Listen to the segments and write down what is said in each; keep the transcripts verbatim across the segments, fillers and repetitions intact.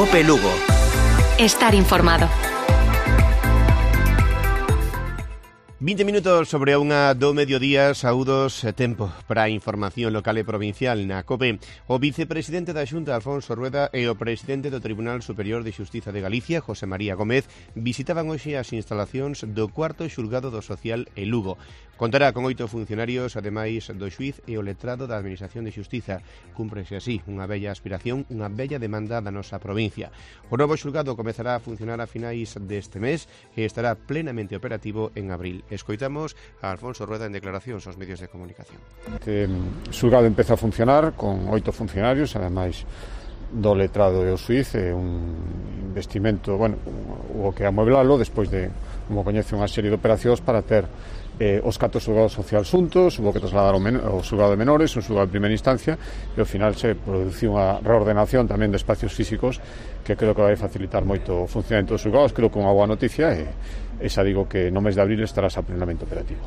COPE Lugo. Estar informado. vinte minutos sobre a unha do mediodía, saúdos e tempo para a información local e provincial na COPE. O vicepresidente da Xunta, Alfonso Rueda, e o presidente do Tribunal Superior de Xustiza de Galicia, José María Gómez, visitaban hoxe as instalacións do cuarto xulgado do Social en Lugo. Contará con oito funcionarios, ademais do xuíz e o letrado da Administración de Xustiza. Cúmprese así unha bella aspiración, unha bella demanda da nosa provincia. O novo xulgado comezará a funcionar a finais deste mes e estará plenamente operativo en abril. Escoitamos a Alfonso Rueda en declaracións aos medios de comunicación. Este xulgado empeza a funcionar con oito funcionarios, ademais do letrado e o xuíz, é un investimento, bueno, o que amueblalo despois de, como coñece, unha serie de operacións para ter eh, os catro xulgados sociais xuntos, hubo que trasladar o, men o xulgado de menores, un xulgado de primeira instancia, e ao final se produciu unha reordenación tamén de espacios físicos que creo que vai facilitar moito o funcionamento dos xulgados. Creo que unha boa noticia e esa digo que no mes de abril estará xa plenamente operativo.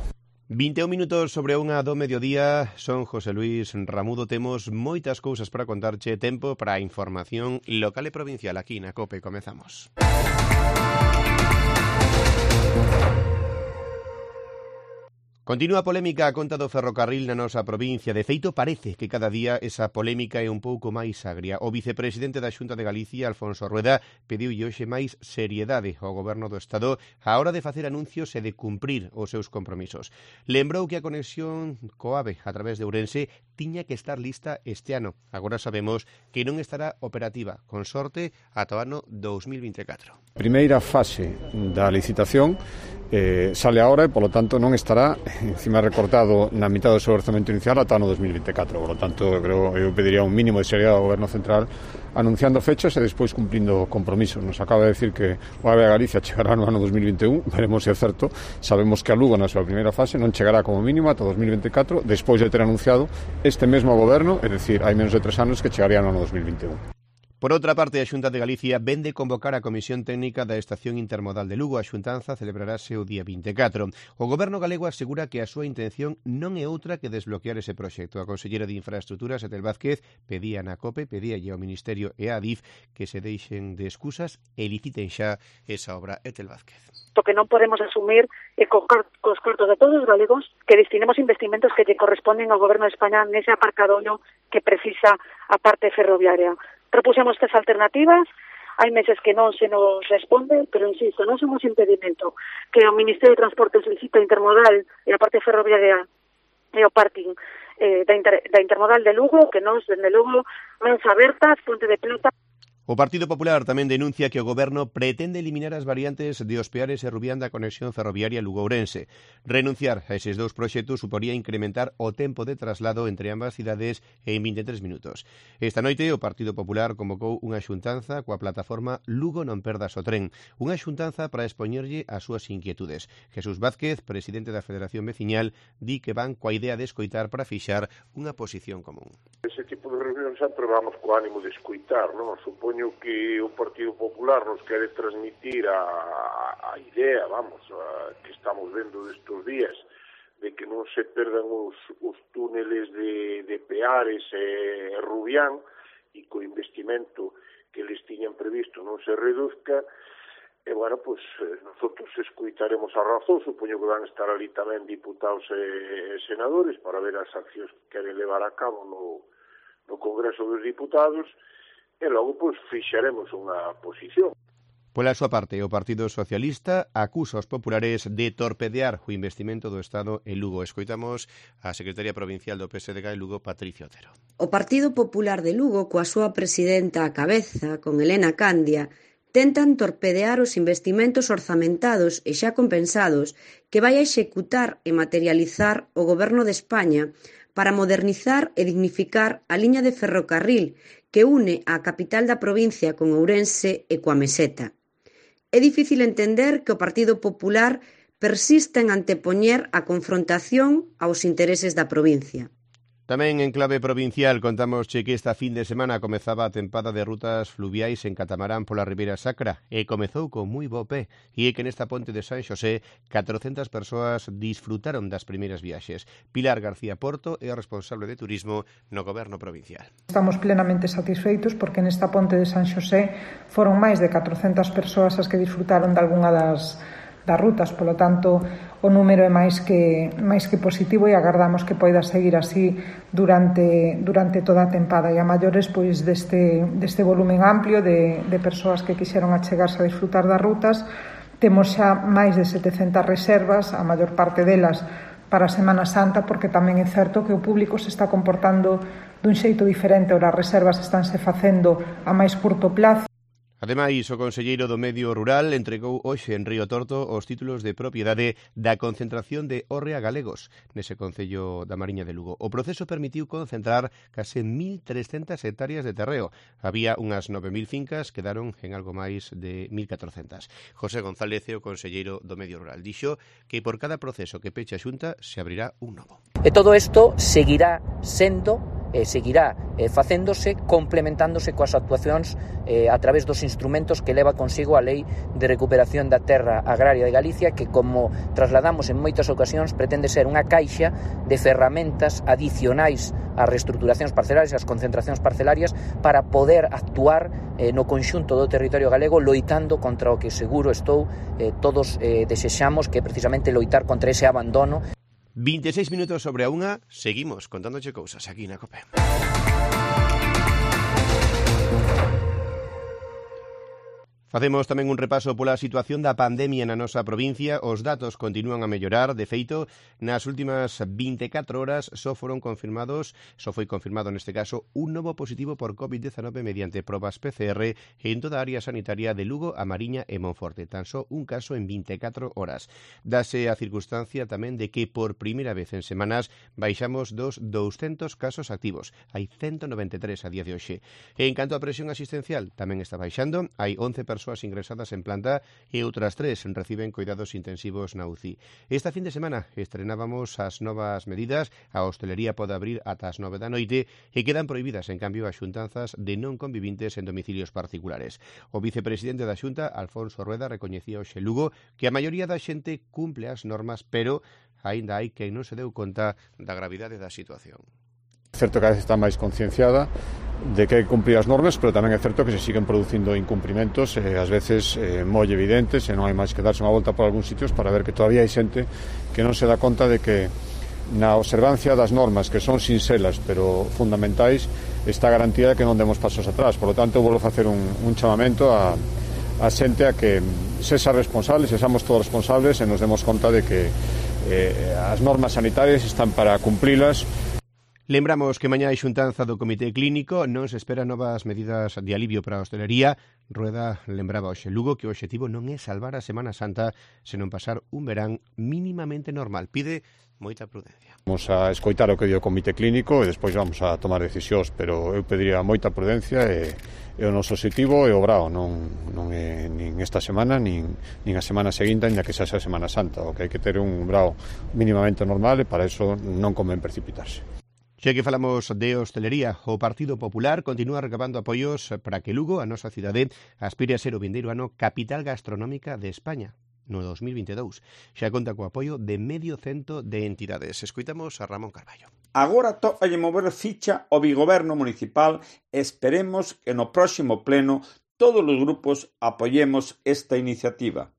vinte e un minutos sobre unha do mediodía, son José Luis Ramudo. Temos moitas cousas para contarche, tempo para a información local e provincial aquí na COPE. Comezamos. Continúa a polémica a conta do ferrocarril na nosa provincia. De feito, parece que cada día esa polémica é un pouco máis agria. O vicepresidente da Xunta de Galicia, Alfonso Rueda, pediu hoxe máis seriedade ao Goberno do Estado á hora de facer anuncios e de cumprir os seus compromisos. Lembrou que a conexión co AVE a través de Ourense tiña que estar lista este ano. Agora sabemos que non estará operativa, con sorte, ata o ano dous mil vinte e catro. Primeira fase da licitación eh, sale agora e, polo tanto, non estará encima recortado na mitad do seu orzamento inicial ata o ano dous mil vinte e catro. Por lo tanto, eu, creo, eu pediría un mínimo de seriedade ao Goberno Central anunciando fechas e despois cumplindo compromisos. Nos acaba de decir que o AVE a Galicia chegará no ano dous mil vinte e un, veremos se é certo. Sabemos que a Lugo na súa primeira fase non chegará como mínimo ata dous mil vinte e catro, despois de ter anunciado este mesmo Goberno, é dicir, hai menos de tres anos que chegaría no ano dous mil vinte e un. Por outra parte, a Xunta de Galicia vende convocar a Comisión Técnica da Estación Intermodal de Lugo. A xuntanza celebrarase o día vinte e catro. O Goberno galego asegura que a súa intención non é outra que desbloquear ese proxecto. A conselleira de Infraestructuras, Etel Vázquez, pedía na COPE, pedía ao Ministerio e a Adif que se deixen de excusas e liciten xa esa obra. Etel Vázquez. O que non podemos asumir é co cos cartos de todos os galegos que destinemos investimentos que lle corresponden ao Goberno de España nese aparcadollo que precisa a parte ferroviaria. Propuxemos tres alternativas, hai meses que non se nos responde, pero insisto, non somos impedimento que o Ministerio de Transportes licita intermodal e a parte ferroviaria e o parking eh, da, inter, da intermodal de Lugo, que nos, dende Lugo, mans abertas, Ponte de Plata. O Partido Popular tamén denuncia que o Goberno pretende eliminar as variantes de Ospeares e Rubián da conexión ferroviaria Lugo-Ourense. Renunciar a eses dous proxectos suporía incrementar o tempo de traslado entre ambas cidades en vinte e tres minutos. Esta noite o Partido Popular convocou unha xuntanza coa plataforma Lugo non perdas o tren, unha xuntanza para expoñerlle as súas inquietudes. Jesús Vázquez, presidente da Federación Veciñal, di que van coa idea de escoitar para fixar unha posición común. Ese tipo de reunión sempre vamos co ánimo de escoitar, non? Supoño que o Partido Popular nos quere transmitir a, a idea, vamos, a, que estamos vendo destes días, de que non se perdan os, os túneles de, de Peares e Rubián e co investimento que les tiñan previsto non se reduzca. E, bueno, pois, nosotros escoitaremos a razón, supoño que van estar ali tamén diputados e senadores para ver as accións que queren levar a cabo no, no Congreso dos Diputados, e logo, pois, fixaremos unha posición. Pola súa parte, o Partido Socialista acusa aos populares de torpedear o investimento do Estado en Lugo. Escoitamos a secretaria provincial do P S D G en Lugo, Patricia Otero. O Partido Popular de Lugo, coa súa presidenta á cabeza, con Elena Candia, tentan torpedear os investimentos orzamentados e xa compensados que vai a executar e materializar o Goberno de España para modernizar e dignificar a liña de ferrocarril que une a capital da provincia con Ourense e coa Meseta. É difícil entender que o Partido Popular persista en antepoñer a confrontación aos intereses da provincia. Tamén en clave provincial contamos che que esta fin de semana comezaba a tempada de rutas fluviais en catamarán pola Ribeira Sacra e comezou con moi bo pé, e é que nesta ponte de San Xosé catrocentas persoas disfrutaron das primeiras viaxes. Pilar García Porto é a responsable de turismo no Goberno provincial. Estamos plenamente satisfeitos porque nesta ponte de San Xosé foron máis de catrocentas persoas as que disfrutaron de algunha das das rutas, polo tanto o número é máis que máis que positivo e agardamos que poida seguir así durante durante toda a tempada e a maiores pois deste deste volumen amplio de de persoas que quixeron achegarse a disfrutar das rutas. Temos xa máis de setecentas reservas, a maior parte delas para a Semana Santa, porque tamén é certo que o público se está comportando dun xeito diferente, ora as reservas estánse facendo a máis curto plazo. Ademais, o conselleiro do Medio Rural entregou hoxe en Río Torto os títulos de propiedade da concentración de hórrea galegos nese concello da Mariña de Lugo. O proceso permitiu concentrar case mil trescentas hectáreas de terreo. Había unhas nove mil fincas, quedaron en algo máis de mil catrocentas. José González, o conselleiro do Medio Rural, dixo que por cada proceso que peche a Xunta se abrirá un novo. E todo isto seguirá sendo e seguirá eh, facéndose, complementándose coas actuacións eh, a través dos instrumentos que leva consigo a Lei de Recuperación da Terra Agraria de Galicia, que, como trasladamos en moitas ocasións, pretende ser unha caixa de ferramentas adicionais ás reestruturacións parcelarias, ás concentracións parcelarias, para poder actuar eh, no conxunto do territorio galego loitando contra o que seguro estou eh, todos eh, desexamos, que é precisamente loitar contra ese abandono. vinte e seis minutos sobre a unha, seguimos contándoche cousas aquí na COPE. Facemos tamén un repaso pola situación da pandemia na nosa provincia. Os datos continúan a mellorar. De feito, nas últimas vinte e catro horas só foron confirmados, só foi confirmado neste caso, un novo positivo por covid diecinueve mediante probas P C R en toda a área sanitaria de Lugo, A Mariña e Monforte. Tan só un caso en vinte e catro horas. Dase a circunstancia tamén de que por primeira vez en semanas baixamos dos douscentos casos activos. Hai ciento noventa e tres a día de hoxe. E en canto a presión asistencial, tamén está baixando. Hai once persoas persoas ingresadas en planta e outras tres reciben cuidados intensivos na U C I. Esta fin de semana estrenábamos as novas medidas. A hostelería pode abrir ata as nove da noite e quedan prohibidas, en cambio, as xuntanzas de non convivintes en domicilios particulares. O vicepresidente da Xunta, Alfonso Rueda, recoñecía hoxe Lugo que a maioría da xente cumple as normas, pero aínda hai quen non se deu conta da gravidade da situación. É certo que a vez está máis concienciada de que hai que cumprir as normas, pero tamén é certo que se siguen producindo incumprimentos, e ás veces eh, moi evidentes, e non hai máis que darse unha volta por algúns sitios para ver que todavía hai xente que non se dá conta de que na observancia das normas, que son sinxelas pero fundamentais, está a garantía de que non demos pasos atrás. Por lo tanto, vou facer un, un chamamento a, a xente a que sexa responsable, sexamos todos responsables e nos demos conta de que eh, as normas sanitarias están para cumprilas. Lembramos que mañá hai xuntanza do Comité Clínico, non se esperan novas medidas de alivio para a hostelería. Rueda lembraba hoxe Lugo que o obxectivo non é salvar a Semana Santa, senón pasar un verán mínimamente normal. Pide moita prudencia. Vamos a escoitar o que di o Comité Clínico e despois vamos a tomar decisións, pero eu pediría moita prudencia e, e o noso obxectivo é o brao, non, non é nin esta semana, nin, nin a semana seguinte, ainda que xa xa Semana Santa. O que hai que ter un brao mínimamente normal e para iso non convén precipitarse. Xa que falamos de hostelería, o Partido Popular continúa recabando apoios para que Lugo, a nosa cidade, aspire a ser o vindeiro ano capital gastronómica de España no dos mil vinte e dous. Xa conta co apoio de medio cento de entidades. Escoitamos a Ramón Carballo. Agora tócalle mover ficha ao bigoberno municipal e esperemos que no próximo pleno todos os grupos apoiemos esta iniciativa.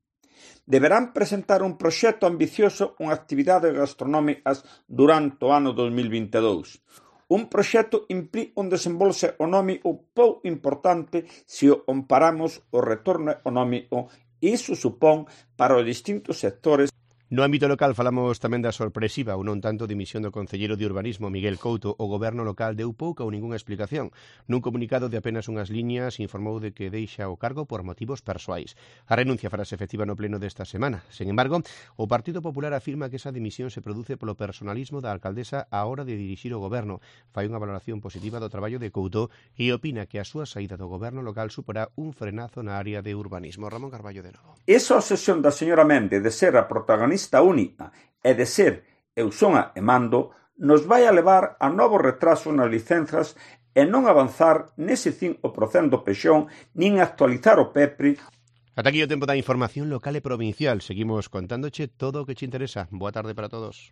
Deberán presentar un proxecto ambicioso con actividades gastronómicas durante o ano dos mil vinte e dous. Un proxecto implica un desembolso económico pouco importante se o comparamos o retorno económico e iso supón para os distintos sectores. No ámbito local falamos tamén da sorpresiva ou non tanto dimisión do concelleiro de Urbanismo Miguel Couto. O goberno local deu pouca ou ningunha explicación. Nun comunicado de apenas unhas liñas informou de que deixa o cargo por motivos persoais. A renuncia farase efectiva no pleno desta semana. Sen embargo, o Partido Popular afirma que esa dimisión se produce polo personalismo da alcaldesa á hora de dirixir o goberno. Fai unha valoración positiva do traballo de Couto e opina que a súa saída do goberno local suporá un frenazo na área de urbanismo. Ramón Carballo de novo. Esa obsesión da señora Méndez de ser a protagonista única e de ser eu son a e mando nos vai a levar a novos retrasos nas licenzas e non avanzar nese cinco por cento do pexón nin actualizar o PEPRI. Ata aquí o tempo da información local e provincial. Seguimos contándoche todo o que te interesa. Boa tarde para todos.